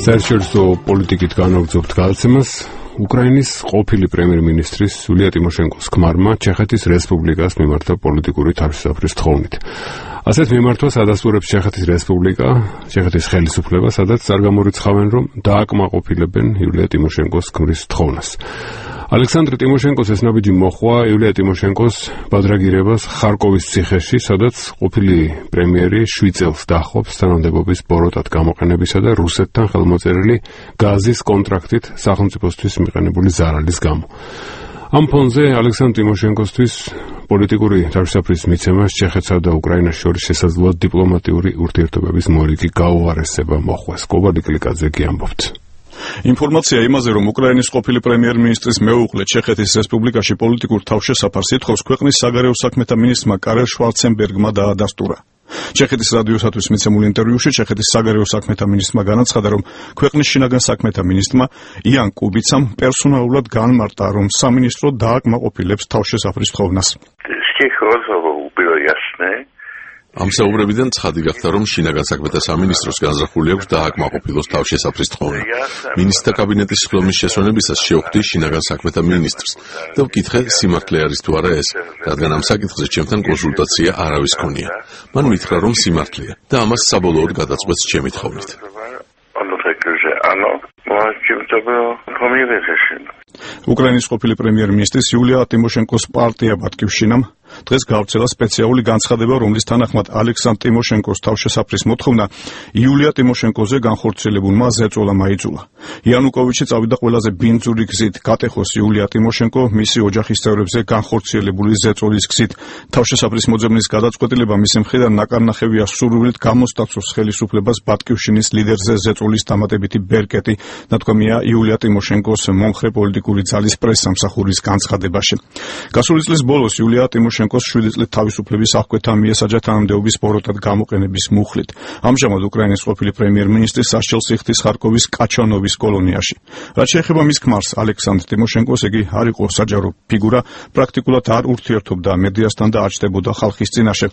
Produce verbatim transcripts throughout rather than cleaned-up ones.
საერთაშორისო პოლიტიკით განაგრძობთ გადაცემას უკრაინის ყოფილი პრემიერ-მინისტრის იულია ტიმოშენკოს ქმარმა ჩეხეთის რესპუბლიკას მიმართა პოლიტიკური თავშესაფრის თხოვნით. ასეთ მიმართვას ადასტურებს ჩეხეთის რესპუბლიკა, ჩეხეთის ხელისუფლება, სადაც არ გამორიცხავენ, რომ დააკმაყოფილებენ იულია ტიმოშენკოს ქმრის თხოვნას. ალექსანდრე ტიმოშენკოს ეს ნაბიჯი მოჰყვა იულია ტიმოშენკოს ბადრაგირებას ხარკოვის ციხეში, სადაც ყოფილი პრემიერი შვიდ წელს დაჰყობს თანამდებობის ბოროტად გამოყენებისა და რუსეთთან ხელმოწერილი გაზის კონტრაქტით სახელმწიფოსთვის მიყენებული ზარალის გამო. ამ ფონზე ალექსანდრე ტიმოშენკოსთვის პოლიტიკური თავშესაფრის მიცემას ჩეხეთსა და უკრაინას შორის შესაძლოა დიპლომატიური ურთიერთობების მორიგი გაუარესება მოხვეს. კობალი კლიკაძე კი ამბობს. ინფორმაცია იმაზე, რომ უკრაინის ყოფილი პრემიერ-მინისტრის მეუღლე ჩეხეთის რესპუბლიკაში პოლიტიკურ თავშესაფარს ითხოვს, ქვეყნის საგარეო საქმეთა მინისტრმა კარელ შვარცენბერგმა დაადასტურა. ჩეხეთის რადიოსათვის მიცემულ ინტერვიუში ჩეხეთის საგარეო საქმეთა მინისტრმა განაცხადა, რომ ქვეყნის შინაგან საქმეთა მინისტრმა იან კუბიცამ პერსონალურად განმარტა, რომ სამინისტრო დააკმაყოფილებს თავშესაფრის თხოვნას. ამ საუბრებიდან ცხადი გახდა, რომ შინაგან საქმეთა სამინისტროს განზრახული აქვს დააკმაყოფილოს თავშესაფრის თხოვნა. მინისტრთა კაბინეტის ხდომის შესვენებისას შევხვდი შინაგან საქმეთა მინისტრს და ვკითხე, სიმართლე არის თუ არა ეს, რადგან ამ საკითხზე ჩემთან კონსულტაცია არავის ქონია. მან მითხრა, რომ სიმართლეა და ამას საბოლოოდ გადაწყვეტს ჩემი თხოვნით. უკრაინის ყოფილი პრემიერ-მინისტრის იულია ტიმოშენკოს პარტია ბატკივშინამ დღეს გავრცელა სპეციალური განცხადება, რომლის თანახმად ალექსანდრე ტიმოშენკოს თავშესაფრის მოთხოვნა იულია ტიმოშენკოზე განხორციელებულმა ზეწოლა მაიძულა. იანუკოვიჩი წავიდა ყველაზე ბინძური გზით გატეხოს იულია ტიმოშენკო მისი ოჯახის წევრებზე განხორციელებული ზეწოლის გზით. თავშესაფრის მოძებნის გადაწყვეტილება მისი მხრიდან ნაკარნახევია სურვილით გამოსტაცოს ხელისუფლებას ბატკივშინის ლიდერზე ზეწოლის დამატებითი ბერკეტი, ნათქვამია იულია ტიმოშენკოს მომხრე პოლიტიკური ძალის პრესსამსახურის განცხადებაში. გასული წლის ბოლოს იულია ტიმოშენკო შვიდი წლით თავისუფლების აღკვეთა მიესაჯა თანამდებობის ბოროტად გამოყენების მუხლით. ამჟამად უკრაინის ყოფილი პრემიერ-მინისტრი სასჯელს იხდის ხარკოვის კაჩანოვის კოლონიაში. რაც შეეხება მის ქმარს ალექსანდრე ტიმოშენკოს, იგი არ იყო საჯარო ფიგურა, პრაქტიკულად არ ურთიერთობდა მედიასთან და აჩნდებოდა ხალხის წინაშე.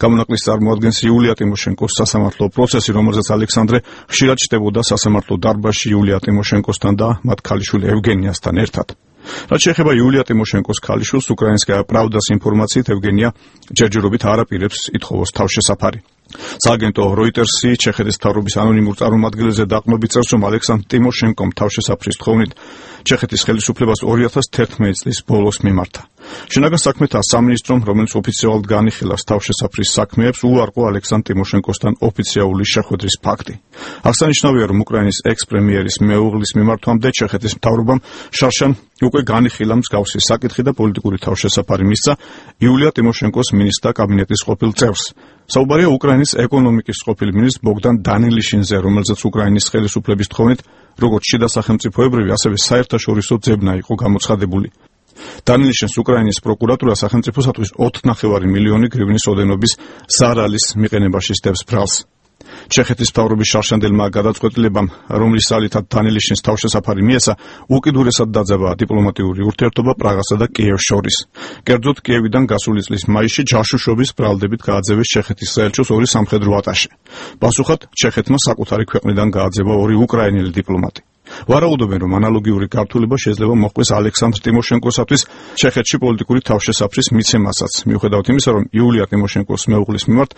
გამონაკლისს წარმოადგენს იულია ტიმოშენკოს სასამართლო პროცესი, რომელზეც ალექსანდრე ხშირად ჩნდებოდა სასამართლო დარბაზში იულია ტიმოშენკოსთან და მათ ქალიშვილ ევგენიასთან ერთად. რაც შეეხება იულია ტიმოშენკოს ქალიშვილს, უკრაინსკაია პრავდას ინფორმაციით ევგენია ჯერჯერობით არ აპირებს ითხოვოს თავშესაფარი. სააგენტო როიტერსი ჩეხეთის მთავრობის ანონიმურ წარმომადგენელზე დაყრდნობით წერს, რომ ალექსანდრე ტიმოშენკომ თავშესაფრის თხოვნით ჩეხეთის ხელისუფლებას ორი ათას თერთმეტი წლის ბოლოს მიმართა. შინაგან საქმეთა სამინისტრომ, რომელიც ოფიციალურად განიხილავს თავშესაფრის საქმეებს, უარყო ალექსანდრე ტიმოშენკოსთან ოფიციალური შეხვედრის ფაქტი. აღსანიშნავია, რომ უკრაინის ექს-პრემიერის მეუღლის მიმართვამდე ჩეხეთის მთავრობამ შარშან უკვე განიხილა მსგავსი საკითხი და პოლიტიკური თავშესაფარი მისცა იულია ტიმოშენკოს მინისტრთა კაბინეტის ყოფილ წევრს. საუბარია უკრაინის ეკონომიკის ყოფილ მინისტრ ბოგდან დანილიშინზე, რომელზეც უკრაინის ხელისუფლების თხოვნით როგორც შიდა სახელმწიფოებრივი, ასევე საერთაშორისო ძებნა იყო გამოცხადებული. დანილიშინს უკრაინის პროკურატურა სახელმწიფოსათვის ოთხ ნახევარი მილიონი გრივნის ოდენობის ზარალის მიყენებაში სდევს ბრალს. ჩეხეთის მთავრობის შარშანდელმა გადაწყვეტილებამ, რომლის ძალითაც დანილიშინს თავშესაფარი მიეცა, უკიდურესად დაძაბა დიპლომატიური ურთიერთობა პრაღასა და კიევს შორის. კერძოდ, კიევიდან გასული წლის მაისში ჯაშუშობის ბრალდებით გააძევეს ჩეხეთის საელჩოს ორი სამხედრო ატაშე. პასუხად, ჩეხეთმა საკუთარი ქვეყნიდან გააძევა ორი უკრაინელი დიპლომატი. ვარაუდობენ, რომ ანალოგიური გართულება შეიძლება მოხდეს ალექსანდრე ტიმოშენკოსათვის ჩეხეთში პოლიტიკური თავშესაფრის მიცემასაც, მიუხედავად იმისა, რომ იულია ტიმოშენკოს მეუღლის მიმართ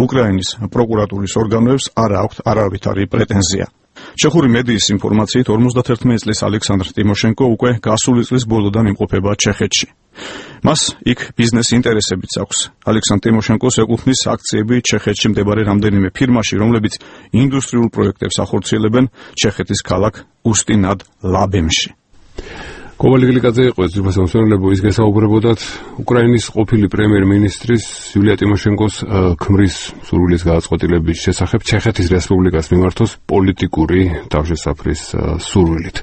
უკრაინის პროკურატურის ორგანოებს არ აქვთ არავითარი პრეტენზია. ჩეხური მედიის ინფორმაციით ორმოცდათერთმეტი წლის ალექსანდრე ტიმოშენკო უკვე გასული წლის ბოლოდან იმყოფება ჩეხეთში. მას იქ ბიზნეს ინტერესებიც აქვს. ალექსანდრე ტიმოშენკოს ეკუთვნის აქციები ჩეხეთში მდებარე რამდენიმე ფირმაში, რომლებიც ინდუსტრიულ პროექტებს ახორციელებენ ჩეხეთის ქალაქ უსტი-ნად-ლაბემში. კობალი კლიკაძე იყო ეს ძვირფასი მოსმენელებო, ის გესაუბრებოდათ უკრაინის ყოფილი პრემიერ-მინისტრის იულია ტიმოშენკოს ქმრის სურვილის გადაწყვეტილების შესახებ ჩეხეთის რესპუბლიკას მიმართოს პოლიტიკური თავშესაფრის სურვილით.